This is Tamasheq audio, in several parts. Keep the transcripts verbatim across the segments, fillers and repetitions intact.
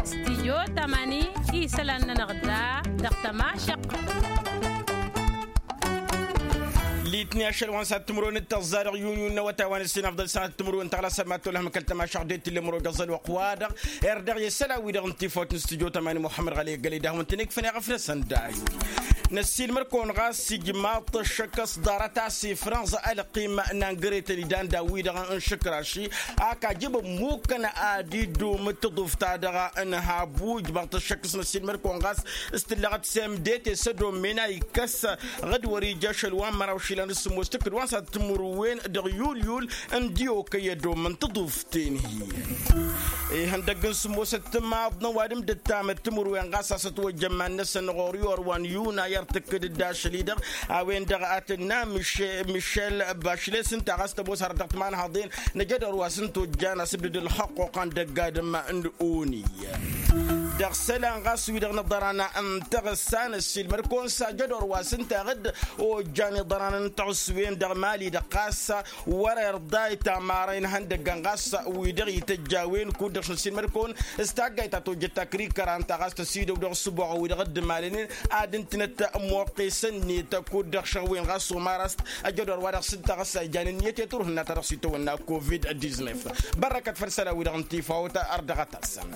Stijyo tamani isălan-nănăɣ da dăɣ-tămašăq. Litni ašăl wa n-sat timǝrwen d-tăẓẓa dăɣ-yun yun n-awătay wa n-ǝssin afḍăl sat timǝrwen tăɣlasăm ma t-olăhăm kăl-tămašăq d-e t-illa măro găẓăl wăqq-wa-dăɣ. Erdăɣ i-isălan-wi-dăɣ n-tifawt n-stijyo tamani muḥămmăd ɣali ăggălăy d-ahmăntăn ikfăn i-ɣăfnăsăn d-ayu. Năssiilmăr-kăwăn ɣas ijmaḍ-t ăššăk s-ḍarăt a-s ifrănẓ ălqim n-angretăn idan daw-wi-dăɣ n-išǝkraši. Ak ajǝb ămmukăn ad-iddum d-tǝḍuft-ta-dăɣ n-habu ijmaḍ-t ăššăk s-năssiilmăr-kăwăn ɣas s-tǝllăɣăt s-emdete s-ădomen a ikkăs ɣǝd wăr-ija ašăl wa n-măraw išilan d-sǝmmos tǝkkǝd wa n-sat timǝrwen dăɣ-yulyul n-dd-okăy ădom n-tǝḍuft. Ten-hi ihăndăgg n-sǝmmosăt timaḍ n-ăwadǝm d-ǝttamăt timǝrwen ɣas a-s ătwăjjăn iman-năsăn ɣur-i orwan yunay ar tǝkkǝd-dd ašăl-i-dăɣ a-wen-dăɣ a tǝnna mišel bašles ǝnta ɣas tămoos har dăɣ-timanhaḍen. Năjăd orwa s-ǝnta ojjan asǝbdǝd ălxăqquq andăgg adǝm n-oni dăɣ-isălan ɣas wi-dăɣ n-iḍăran n-taɣǝssa năssiilmăr-kăwăn s-ajăd orwa s-ǝnta ɣǝd ojjan iḍăran n-taɣǝss-wen dăɣ-mali-dăɣ ɣas wăr-irḍa i-tamara inhăndăggăn ɣas wi-dăɣ ităjj a-wen kud-dăɣ s-năssiilmăd-kăwăn s-taggayt ta tojjăt takrikăra ǝnta ɣas tăsidăw dăɣ-ǝssǝboɣăn wi-dăɣ dd-imalănen ad-ǝntǝnăt muqqes-net kud-dăɣ šăɣ-wen ɣas omar a-s ăjădor wa dăɣ-s ǝnta ɣas a ijan ǝnniyăt i-turhǝnna ta dăɣ-s itawănna covid-diznef. Bărrăkăt făll-isălan-wi-dăɣ n-tifawt ărdăɣăt-asăn.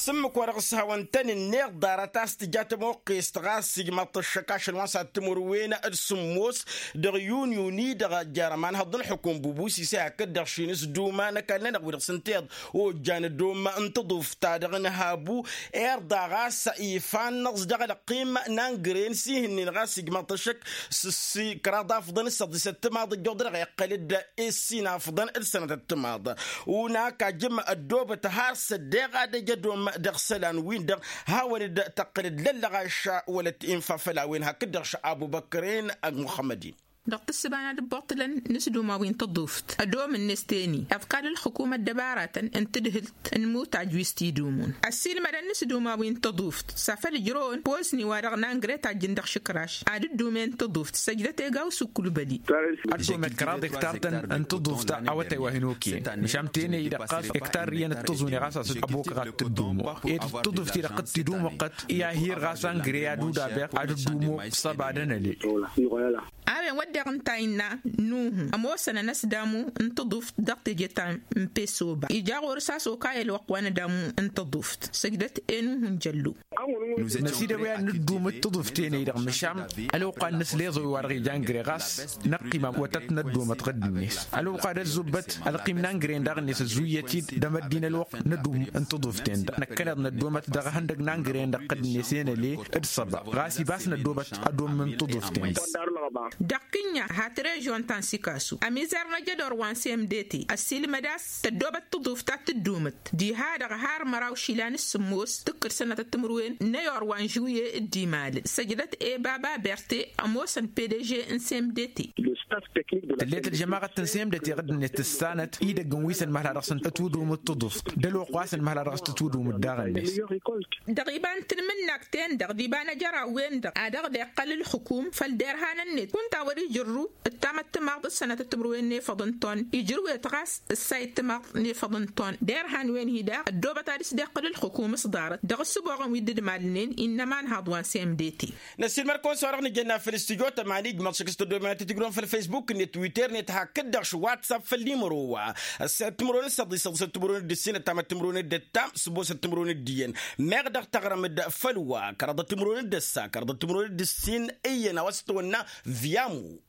S-ǝmmǝk wa dăɣ-s hawăn-tăn-ǝnneɣ ḍarăt a-s tǝja tămoqqest ɣas ijmaḍ-t ăššăk ašăl wa n-sat timǝrwen d-sǝmmos dăɣ-yun yun-i-dăɣ ăjjar ămanhăḍ n-ǝlxǝkum bubus isay hakd-dăɣ šin s-duma n-ăkall-nănăɣ wi-dăɣ s-ǝnta iḍ ojjan ădom n-tǝḍuft-ta-dăɣ n-habu. Irḍa ɣas ifa-năẓ dăɣ-ălqim n-angren s-ihǝnnin ɣas ijmaḍ-t ăššăk s-ǝssi kăraḍ afḍăn d-săḍisăt timaḍ ǝjjuḍ-dăɣ iqqăl-dd i-ǝssin afḍăn d-sănătăt timaḍ. Unak ajǝm ăddoobăt har s-ăddeɣ ad-ăj ădom dăɣ-isălan-win-dăɣ hawăn-dd-tăqqǝl d-lăllăɣaš wălăt infa făll-a-wen hakd-dăɣ š-abubăkren ăgg muxămmăd-in. Dăɣ-tǝssǝba n-ad-ǝbbuṭṭǝlăn n-isduma wi n-tăḍuft ădomǝnnes teni ăḍkal ǝlxǝkum ăddăbaratăn n-tǝdhǝlt n-imutaj wi s-t-idumun ăssiilmădăn n-isduma wi n-tăḍuft s-afăl ǝjrăwăn pozni-wa-dăɣ n-angre tajjǝn dăɣ-išǝkraš ad-ǝddumen tăḍuft săjdăt egaw s-ǝkkulbăli. Ăddomet kăraḍ ektar-tăn n-tăḍuft awătay wa hin-okăyăn măšan tenăy-i-dăɣ ɣas ektar iyyăn d-tăẓune ɣas a-s ăbokăɣ ad-tǝddumoɣ ed tăḍuft-i-dăɣ t-idumăɣ-tăt i-ahir ɣas angre ad-udabeɣ ad-ǝddumoɣ s-ăba d-ănălel. A-wen wădden ǝnta innă nuhu ămoosăn ănăsdamu n-tăḍuft dăɣ-teje ta n-pesoba ija ɣur-s a-s okayăl wăqq wa n-ădamu n-tăḍuft săjdăt i-nuhu n-jăllu. Năsidăw i-ad-nǝddumǝt tăḍuft-en-i-dăɣ măšan ălwăqq wa n-inǝsleẓ wi-wa-dăɣ ija angre ɣas năqqim awătăt n-ăddomăt ɣǝdd-net ălwăqq wa d-ăzzubbăt ălqim n-angre-en daɣ-net ăzzuyăt-dd d-amăddin ălwăqq n-ădum n-tăḍuft-en-dăɣ năkkăneḍ năddomăt dăɣ-ihăndăg n-angre-en-dăɣ ɣǝdd-net i-năle d-săba ɣas ibas năddobăt ădom n-tăḍuft-en-dăɣ. Dăɣ-kǝnya hat režion ta n-sikasu ămizar n-ajădor wa n-semdete ăssiilmăd a-s tăddobăt tăḍuft ad-tǝddumǝt diha-dăɣ har măraw išilan s-sǝmmos tǝkkǝd sănătăt timǝrwen n-ayor wa n-žuye d-imalăn săjdăt i-baba berte ămoosăn pdg n-semdete. Tǝllet ălžămaɣăt n-semdete ɣǝdd-net tǝssanăt idăgg n-wi s-ănmăhla dăɣ-săn ătwǝdumǝt tăḍuft d-ălwăqq wa s-ănmăhla dăɣ-s tǝtwǝdumǝt daɣ-net. Dăɣ-iba n-tanmǝnnakt-en-dăɣ d-iba n-ajăraw-wen-dăɣ ad-dăɣ-dd-iqqăl ǝlxǝkum făll-derhan-net kunta wăr-ijărru ǝttamăt timaḍ d-sănătăt timǝrwen n-efăḍ n-ton ijrǝwet ɣas ǝssayǝd timaḍ n-efăḍ n-ton derhan-wen-hi daɣ ăddoobăt ad-ǝsdeqqǝl ǝlxǝkum s-ḍarăt dăɣ-ǝssǝboɣăn wi dd-ǝdmalnen innă ămanhaḍ wa n-semdete. Năssiilmăr-kăwăn s-wa-dăɣ nǝjănna făll-studyo tămani ijmăḍ šăk s-tăddomen ad-tǝjrǝwăn făll-fesbuk-net twitter-net hakd-dăɣ š-whatsapp făll-nimăro wa ăssayăt timǝrwen d-săḍisăḍ săt-timǝrwen d-ǝssin ăttamăt timǝrwen d-ǝttam s-ămoosăt timǝrwen d-iyyăn. Meɣ dăɣ-taɣrăm-dd făll-wa kăraḍăt timǝrwen d-ăssa kăraḍăt timǝrwen d-ǝssin iyyăn a-wa s-tăwănna viamu.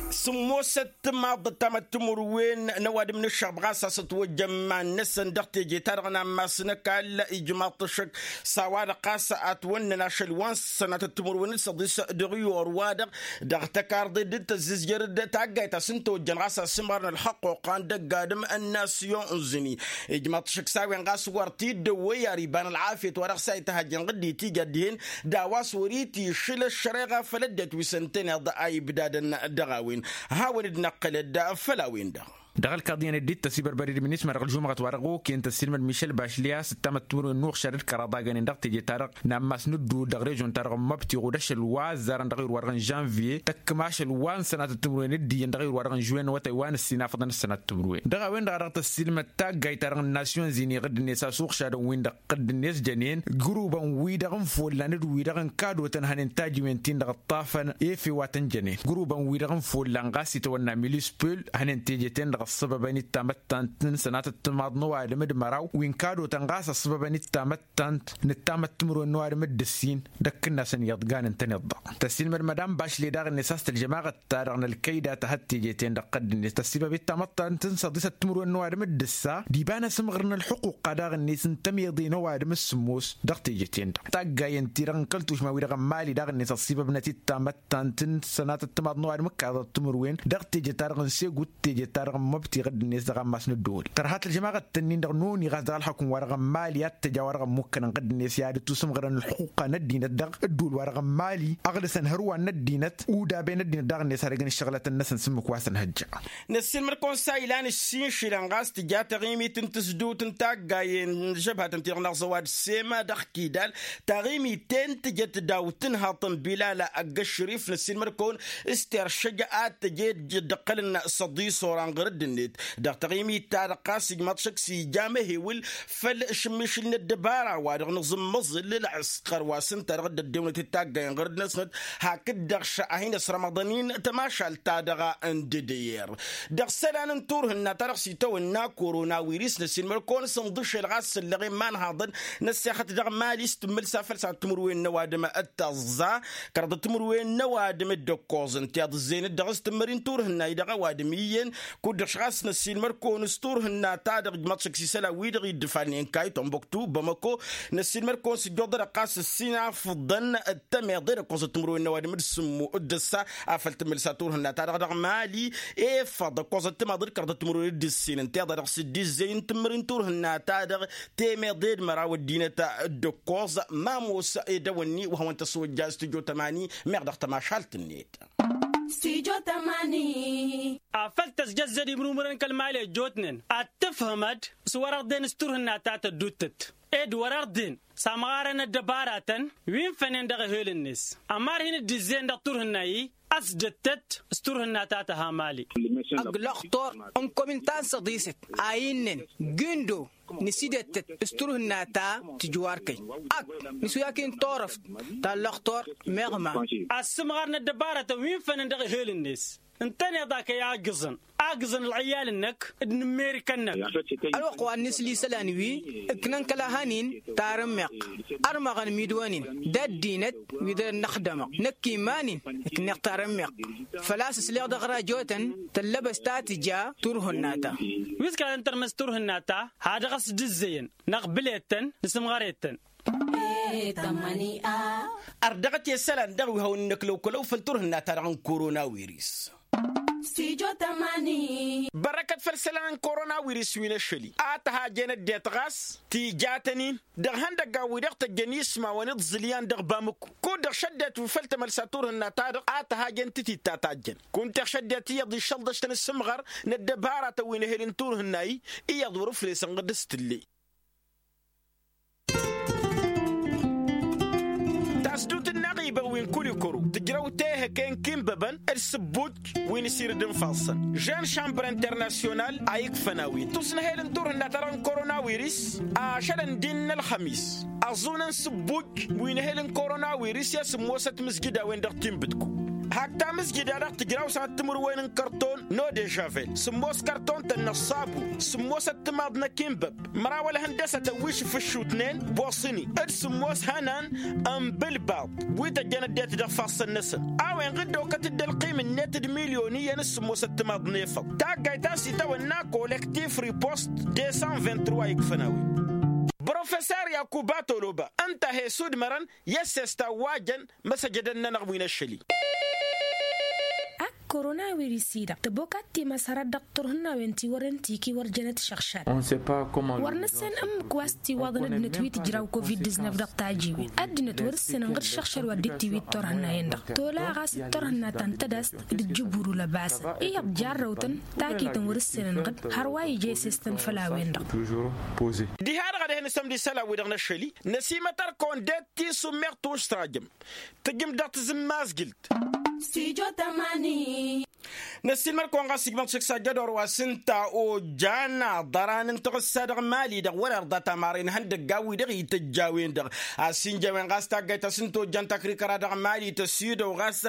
Sǝmmosăt timaḍ d-ăttamăt timǝrwen n-ăwadǝm n-ǝššăɣb ɣas a-s ătwăjjăn iman-năsăn dăɣ-teje-ta-dăɣ n-ammas n-ăkall ijmaḍ-t ăššăk s-a-wa-dăɣ ɣas a ătwănnăn ašăl wa n-sănatăt timǝrwen d-săḍis dăɣ-iyor-wa-dăɣ dăɣ-tăkarḍe dd-tăzzǝzjăr d-taggayt a-s n-tăwăjjăn ɣas a-s ămărăn ălxăqquq andăgg-adǝm n-nasyon n-zǝni. Ijmaḍ-t ăššăk s-a-wen ɣas wăr t-dd-ăwwăy ar iba n-ălɣafyăt wa dăɣ-s a ităhăjjăn ɣǝddit ija dihen d-a-wa s-wăr-itišǝl ăššăreɣa făll-ăddinăt wi s-ǝntăneḍ a ibdadăn dăɣ-a-wen. Hawăn-dd-năqqǝlăd făll-a-wen-dăɣ. Dăɣ-ălkaḍ iyyăn ăddit tăsibărbări d-minisma dăɣ-ălžumăɣăt wa dăɣ-okăyăn tăssilmăd mišel bašli a-s ǝttamăt timǝrwen n-uɣšad d-kăraḍ a gănen dăɣ-teje-ta-dăɣ n-ammas n-ǝdduul dăɣ-režon-ta-dăɣ n-măbti ɣud ašăl wa ăzzarăn dăɣ-iwǝr wa-dăɣ n-žănvye tăkkăm ašăl wa n-sănatăt timǝrwen d-iyyăn dăɣ-iwǝr wa-dăɣ n-žuwen n-awătay wa n-ǝssin afăḍăn s-sănatăt timǝrwen. Dăɣ-a-wen-dăɣ a dăɣ-tăssilmăd taggayt-ta-dăɣ n-nasyon zini ɣǝddǝnet a-s uɣšadăn-win dăɣ-tăqqǝddǝnet jănen gǝrubăn-wi-dăɣ n-follan d-wi-dăɣ n-kadotăn hănen tajiwen-tin-dăɣ ǝṭṭafăn efe wa tăn-jănen gǝrubăn-wi-dăɣ n-follan ɣas itawănna milispul hănen teje-ten-dăɣ ăssăbăbăn-dd tamăttant n-sănatăt timaḍ n-ăwadǝm d-măraw wi n-kadotăn ɣas ăssăbăbăn-dd tamăttant n-ǝttamăt timǝrwen n-ăwadǝm d-ǝssin d-ăkkǝnna s-ănniḍgan ǝntăneḍ-dăɣ. Tăssilmăd madam bašle daɣ-net a-s tălžămaɣăt-ta-dăɣ n-ălkăyda tăhăt teje-ten-dăɣ ɣǝddǝnet tăssibăbet tamăttant n-săḍisăt timǝrwen n-ăwadǝm d-ǝssa d-iba n-asǝmɣǝr n-ălxuqqa daɣ-net n-tămeḍe n-ăwadǝm s-sǝmmos dăɣ-teje-ten-dăɣ taggayen-ti-dăɣ n-kăl-tušma-wi-dăɣ n-mali daɣ-net ăṣṣibăbnăt-dd tamăttant n-sănatăt timaḍ n-ăwadǝm ǝkkaḍăt timǝrwen dăɣ-teje-ta-dăɣ n-segut teje-ta-dăɣ n-măbti ɣǝddǝnet dăɣ-ammas n-ădduul tărha tălžămaɣăt-tăn-in-dăɣ noni ɣas dăɣ-ălxukǝm wa-dăɣ n-mali ad-t-tăj a-wa-dăɣ ămmukkănăn ɣǝddǝnet i-ad-ătusǝmɣărăn ălxuqqa n-ăddinăt dăɣ-ădduul wa-dăɣ n-mali ăɣlǝsăn hărwa n-ăddinăt udaben ăddinăt daɣ-net ad-ăgg n-ǝššăɣlătăn-năsăn s-ǝmmǝk wa săn hăjja. Năssiilmăd-kăwăn s-a ilan ǝssin išilan ɣas tǝja taɣimit n-tǝzdǝwt n-taggayen n-žăbhătăn-ti-dăɣ n-aẓăwad sema dăɣ-kidal taɣimit-en tǝjăt daw-tǝnhaḍt n-bilala ăgg-ăššărif năssiilmăd-kăwăn s-teršăj ad-tăj ed dd-ǝqqălăn s-ăḍisoran ɣur-dd-net dăɣ-taɣimit-ta-dăɣ ɣas ijmaḍ šăkk s-ija amăhewǝl făll-ašǝmmišǝl n-ăddăbara wa dăɣ-nǝẓǝmmăẓǝl ǝlɣǝskăr wa s-ǝnta dăɣ-dd-ăddewănăt d-taggayen ɣur-dd-năsnăt hakd-dăɣ šăh a hin-ăsrămăḍăn-in tămašalt-ta-dăɣ n-dădeyer dăɣ-isălan n-turhǝnna-ta-dăɣ s-itawănna korona wiris năssiilmăd-kăwăn s-ǝnḍǝšel ɣas săllăɣen imanhaḍăn n-ăssexăt dăɣ-mali s-tǝmmǝlsa făll-sănatăt timǝrwen n-ăwadǝm d-tăẓẓa kăraḍăt timǝrwen n-ăwadǝm d-ǝkkoẓ ǝnta iḍǝzzeyăn-dd dăɣ-s tǝmmări n-turhǝnna-i-dăɣ ăwadǝm iyyăn kud-dăɣ š-ɣas năssiilmăd-kăwăn s-turhǝnna-ta-dăɣ ǝjmaḍ šăkk s-isălan-wi-dăɣ iddǝfalnen kayton băktu bămăko năssiilmăd-kăwăn s-ǝjjuḍăd ɣas ǝssin afǝḍăn d-tămeḍe d-ǝkkoẓăt timǝrwen n-ăwadǝm d-sǝmmu d-ǝssa afăl tǝmmǝlsa turhǝnna-ta-dăɣ dăɣ-mali efăḍ ǝkkoẓăt timaḍ d-kăraḍăt timǝrwen d-ǝssin ǝnta iḍa dăɣ-s dd-izzăy n-tǝmmǝri n-turhǝnna-ta-dăɣ temeḍe d-măraw ăddinăt d-ǝkkoẓ ma ămoos edăwănni wa hawăn-tăswăjja s-tijo tămani meɣ dăɣ-tămašalt-net. Afăl tăzjăzzăd imrumrăn kăl-mali ăjjootnen ad-tǝfhǝmăd s-wăr-ărdin s-turhǝnna ta tădduttăt ed wăr-ărdin s-amɣarăn ăddăbaratăn wi n-fănen dăɣ-ehel-net ămar hin-dd-izzeyăn dăɣ-turhǝnna-i ăsdăttăt s-turhǝnna ta tăha mali. Ăgg lăxtor n-komin ta n-săḍisăt a innăn gǝndo nǝsidăttăt s-turhǝnna ta tǝjwarkăy ăgg nǝswǝy-ak-in turăft ta n-lăxtor meɣ ma. Ăssǝmɣar n-ăddăbarătăn wi n-fănăn dăɣ-ehel-net ǝntăneḍ-ak i-agǝẓăn agǝẓăn ălɣǝyyal-năk d-inǝmmerikăn-năk. Ălwăqq wa n-inǝsli isălan wi ǝknăn kăla hăn-in tarǝmmeɣt ărmăɣăn midwăn-in d-ăddinăt wi dăr-năxdămăɣ năkk iman-in ǝkneɣ tarǝmmeɣt făl-a-s ǝsleɣ dăɣ-rajotăn tăllăbăst a tǝja turhǝnna-ta. Wi s-kăla tăn-tărmăs turhǝnna-ta ha dăɣ-s dd-ǝzzeyăn năɣbǝlet-tăn nǝsǝmɣăret-tăn. Ărdăɣăt i-isălan dăɣ-wi hawăn-in-ăklăw-kălăw făll-turhǝnna-ta-dăɣ n-korona wiris. Bărăkăt făll-isălan n-korona wiris wi n-ašăl-i a tăhajen ăddinăt ɣas tijatăn-in dăɣ-ihăndăggan-wi-dăɣ tăjjăn ismawăn iḍẓǝl iyyăn dăɣ-bamǝku kud-dăɣ šăddinăt wi făl tămălsa turhǝnna-ta-dăɣ a tăhajen tǝtit ta tajjăn kunta iɣšăddinăt iyyăḍ iššălḍăš-tăn s-imɣăr n-ăddăbaratăn wi n-ehel n-turhǝnna-i iyyăḍ wăr-ǝflesăn ɣǝd s-tǝlle. Tasdut n-inaɣibăn wi n-kulikuru tǝjrăw tehăke n-kinbăbăn d-sǝbbuj wi n-asirǝd n-ifassăn jeune chambre international a ikfăn a-wen tusnăhel n-turhǝnna-ta-dăɣ n-korona wiris ašăl ǝndin n-ălxămis ăẓunăn sǝbbuj wi n-ehel n-korona wiris i-asǝmmosăt mǝzjǝd a-wen dăɣ-tinbǝdku hak tamǝzjǝd-a-dăɣ tǝjraw sănăt timǝrwen n-kărton n-odežavel sǝmmos kărton-tăn n-ăṣṣabu sǝmmosăt timaḍ n-akinbăb măraw ălhăndăsătăn wi šǝfǝššutnen d-sǝmmos hănan n-bǝlbaḍ wi tăjjăn ăddinăt dăɣ-ifassăn-năsăn a-wen ɣǝdda okăt-dd ălqim-net d-milyon iyyăn s-sǝmmosăt timaḍ n-efăḍ taggayt a-s itawănna kolektif ripost deux cent vingt-trois ikfăn a-wen. Professer yakuba toloba ǝnta a he-sudmărăn i-ăssesta wa jăn măsăjădăn-nănăɣ wi n-ašăl-i. Koronawiris-i-dăɣ tăbokat timas hărăt dăɣ-turhǝnnawen ti wărăn tiki wăr jănăt šăɣšad. Wăr nǝssan ǝmmǝk wa s-tiwaḍăn ăddinăt wi tǝjraw covid-diznăf dăɣ-tajiwen ăddinăt wăr-ǝssin ănɣăd šăɣšad wa dd-itiwit turhǝnna-en-dăɣ tola ɣas d-turhǝnna ta n-tădast d-ǝjjǝburu lăbasăn iyyăḍ jarrăwtăn. Takităn wăr-ǝssin ănɣăd hărwa ija isestăn făll-a-wen-dăɣ. Diha-dăɣ ad-ehăn isămd isălan-wi-dăɣ n-ašăl-i năsimăt ărkăwăn d-e-t tisum meɣ tuštrajăm tǝjǝm dăɣ-tizǝmmazgǝlt. Năssiilmăd-kăwăn ɣas ijmăḍ šik s-ajădor wa s-ǝnta ojan aḍăran n-taɣǝssa dăɣ-mali-dăɣ wăr-irḍa tamaren ihăndăggan-wi-dăɣ ităjj a-wen-dăɣ. Ad-sinj a-wen ɣas taggayt ta s-ǝnta ojan takrikăra dăɣ-mali tăsidăw ɣas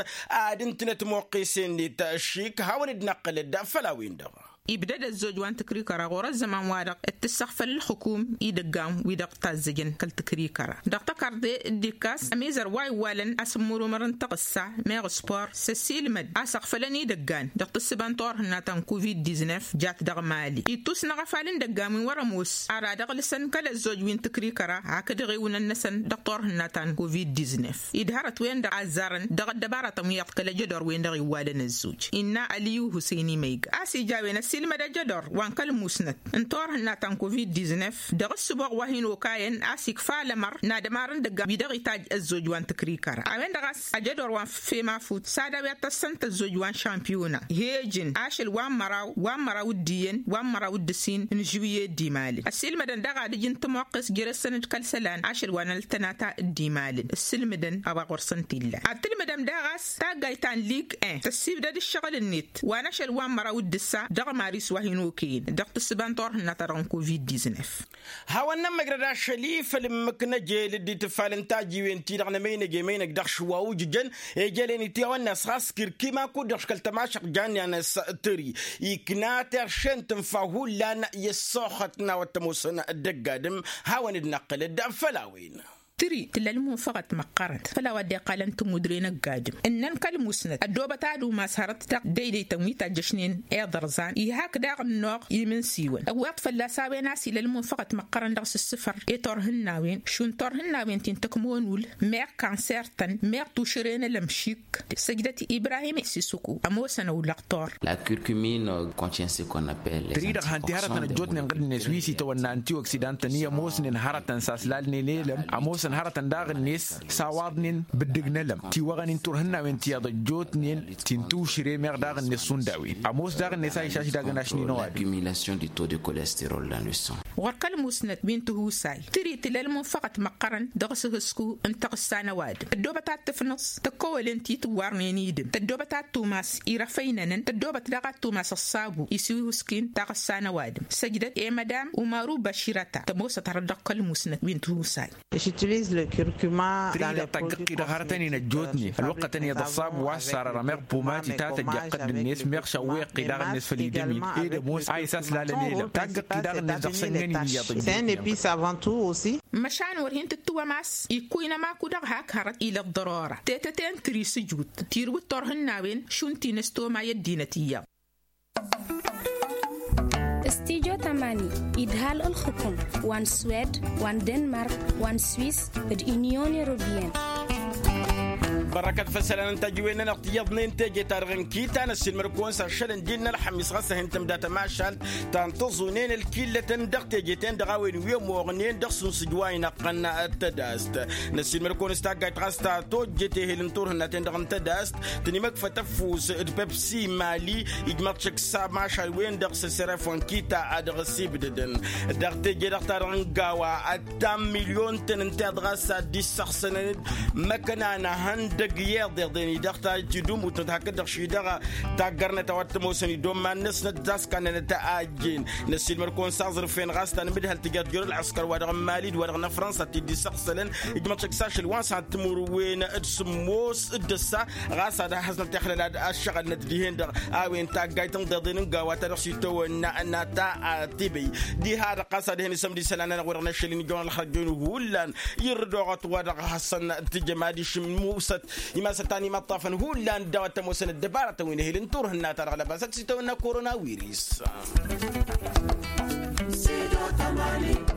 ad-ǝntǝnăt muqqes-en-net šik hawăn-dd-năqqǝlăd făll-a-wen-dăɣ. Ibdăd ăzzoj wa n-tǝkrikăra ɣur-ăzz ăman-wa-dăɣ d-tǝssăɣfăl ǝlxǝkum idăggan-wi-dăɣ tazzăjăn kăl-tǝkrikăra dăɣ-tăkarḍe. D-ikkas ămizăr wa iwwalăn asǝmmurumăr n-taɣǝssa meɣ spor s-ăssiilmăd a-s ăɣfălăn idăggan dăɣ-tǝssǝba n-turhǝnna ta n-covid-diznăf jat dăɣ-mali ittusnăɣ afal n-idăggan wi n-wăr-ămoos ara d-ăɣlǝsăn kăl-ăzzoj wi n-tǝkrikăra hakd iɣiwǝnăn-năsăn dăɣ-turhǝnna ta n-covid-diznăf. Idhărăt-wen-dăɣ a ăzzarăn dăɣ-ăddăbarătăn wi iyyăḍ kăl-ajădor-wen-dăɣ iwwalăn ăzzoj innă ăliyu husăyni măyga a-s ija a-wen ăssiilmăd ajădor wa n-kăl-musnăt n-turhǝnna ta n-covid-diznăf dăɣ-ǝssǝboɣ wa hin-okayăn a-s ikfa alămăr n-ad-ămarăn idăggan wi dăɣ-itajj ăzzoj wa n-tǝkrikăra a-wen-dăɣ a-s ajădor wa n-femafut s-ad-a-wi ad-tăssăn tăzzoj wa n-šampiyona he-ǝjǝn ašăl wa n-măraw wa n-măraw d-iyyăn wa n-măraw d-ǝssin n-žuwye d-imalăn ăssiilmădăn daɣ ad-ǝjǝn tămoqqes jere-săn d-kăl-isălan ašăl wa n-ăltănata d-imalăn ǝssǝlmǝdăn a-wa ɣur-săn t-illa ad-tǝlmǝdăm daɣ a-s taggayt ta n-lig en tăssibdăd ǝššăɣǝl-net wa n-ašăl wa n-măraw d-ǝssa dăɣ-maris wa hin-okăyăn dăɣ-tǝssǝba n-turhǝnna-ta-dăɣ n-covid-diznăf. Hawăn-nămmăjrăd ašăl-i făll-ǝmmǝk n-ejel dd-itǝffalăn tajiwen-ti-dăɣ n-emăynăj emăynăj dăɣ-šǝwwa ujǝjăn ejălen-i ti hawăn-nas ɣas kirkima kud-dăɣ škăl tămašăɣ jan i-anăs tǝri ikna terše n-tǝnfa hullan i-ăssoxăt n-a-wa t-ămoosăn dăgg-adǝm. Hawăn-dd-năqqǝlăd făll-a-wen. Tǝri tǝlla ălmunfăɣăt măqqărăt făll-a-wa dd-iqqalăn tămudre n-ăgg-adǝm ǝnnăn kăl-musnăt ăddoobăt ad-umas hărăt dăɣ-deydăytăn wi tajjăšnen iḍărẓan iha hakd-aɣ ǝnnoɣ imǝnsiwăn ǝwweḍ fălla-s a-wen a-s ila ălmunfăɣăt măqqărăn dăɣ-s ǝssǝfăr i-turhǝnnawen šund turhǝnnawen ti n-tăkmonul meɣ kanser-tăn meɣ tušǝre n-ălămšik săjdăt ibrahim isisuku ămoosăn ăwlăɣ tor. La curcumine contient ce qu'on appelle tări-dăɣ han ti hărătăn ăjjootnen ɣǝdd-net wi s-itawănna antioksidan-tăn i-ămoosnen hărătăn s-aslalnen elăm ămoosăn hărătăn daɣ-net s-awaḍnen bǝddǝg n-elăm tiwăɣăn-in turhǝnnawen tiyyăḍ ăjjootnen ti n-tušǝre meɣ daɣ-net šund a-wen ămoos daɣ-net a išaš dagăn ašni n-ăwadǝm. Ɣur-kăl-musnăt wi n-tihusay tǝri tǝla ălmunfăɣăt măqqărăn dăɣ-asǝhǝsku n-taɣǝssa n-ăwadǝm tăddoobăt ad-tǝfnǝẓ tăkkăwălen ti tǝwwarnen idǝm tăddoobăt ad-tumas irăfăynănăn tăddoobăt daɣ ad-tumas ăṣṣabu isihuski n-taɣǝssa n-ăwadǝm săjdăt i-mădam umaru băširăta tămoosăt hărăt dăɣ-kăl-musnăt wi n-tihusay. Tǝri-dăɣ taggăqqi dăɣ-hărătăn-in ăjjootnen ălwăqqătăn iyyăḍ ăṣṣabu wa s-sarăra meɣ pumat itatăjja ăqqădd-net meɣ šăwweɣ-i daɣ-net făll-idǝm-in ed ămoos a isaslalăn elăm taggăqqi daɣ-net dăɣ-sănnăn-in iyyăḍ ăjjootnen. Măšan wăr hin-tǝttǝwăm a-s ikkuynăm aku-dăɣ hak hărăt ila ăḍḍărora tetăte n-tǝri s-ǝjut tirǝwǝt turhǝnnawen šund ti n-ăstomay ăddinăt iyyăḍ. Studyo tamani idhal ǝlxǝkum wa n-swed wa n-denmark wa n-swis d-unyon europeyăn. Bărăkăt făll-isălan n-tajiwen-nănăɣ tiyyăḍnen teje-ta-dăɣ n-kita năssiilmăd-kăwăn s-ašăl n-dd-innă ălxămis ɣas a hin-tǝmda tămašalt ta n-tăẓunen ălkillătăn dăɣ-teje-ten-dăɣ a-wen wi ămoɣnen dăɣ-sunsǝj wa inăqqăn tădast. Năssiilmăd-kăwăn s-taggayt ɣas ta tojjet ehel n-turhǝnna-ten-dăɣ n-tădast tănimăkfăt ăfuss d-pepsi mali ijmăḍ šăkk s-amašal-wen-dăɣ s-sărăf wa n-kita a dăɣ-s ibdădăn dăɣ-teje-dăɣ-ta-dăɣ n-gawa ăttan milyon-tăn ǝnta iḍ ɣas ad-dd-issăɣsănăn-dd măkăna n-ehăndăg i-iḍeḍen-i dăɣ-ta tidumutnăt hakd-dăɣ šidăɣ taggărnăt a-wa t-ămoosăn idomman-năsnăt d-askannănăt a ăjjeen. Năssiilmăd-kăwăn s-aẓrǝf-en ɣas ta n-amǝdhăl tǝjăt jer-ălɣǝskăr wa dăɣ-n mali d-wa dăɣ-năfrănsa ti dd-issăɣsălăn ijmăḍ šăkk s-ašăl wa n-sănat timǝrwen d-sǝmmos d-ǝssa ɣas ad-ăhhăznăt ixlălad ăššăɣǝlnăt dihen-dăɣ a-wen taggayt n-iḍeḍen n-gawa ta dăɣ-s itawănna n-ata tibey. Diha-dăɣ ɣas ad-hin-isămd isălan-nănăɣ wa dăɣ-năššăl-in ijăwăn ălxărjăyăn hullan irrǝd oɣăt wa dăɣ-hasăn-tǝjăm ad-išǝmmusăt imasăt ta n-imăṭṭafăn hullan d-a-wa t-ămoosăn ăddăbarătăn wi n-ehel n-turhǝnna-ta-dăɣ lăbasăt s-itawănna koronawiris. Sido tamani.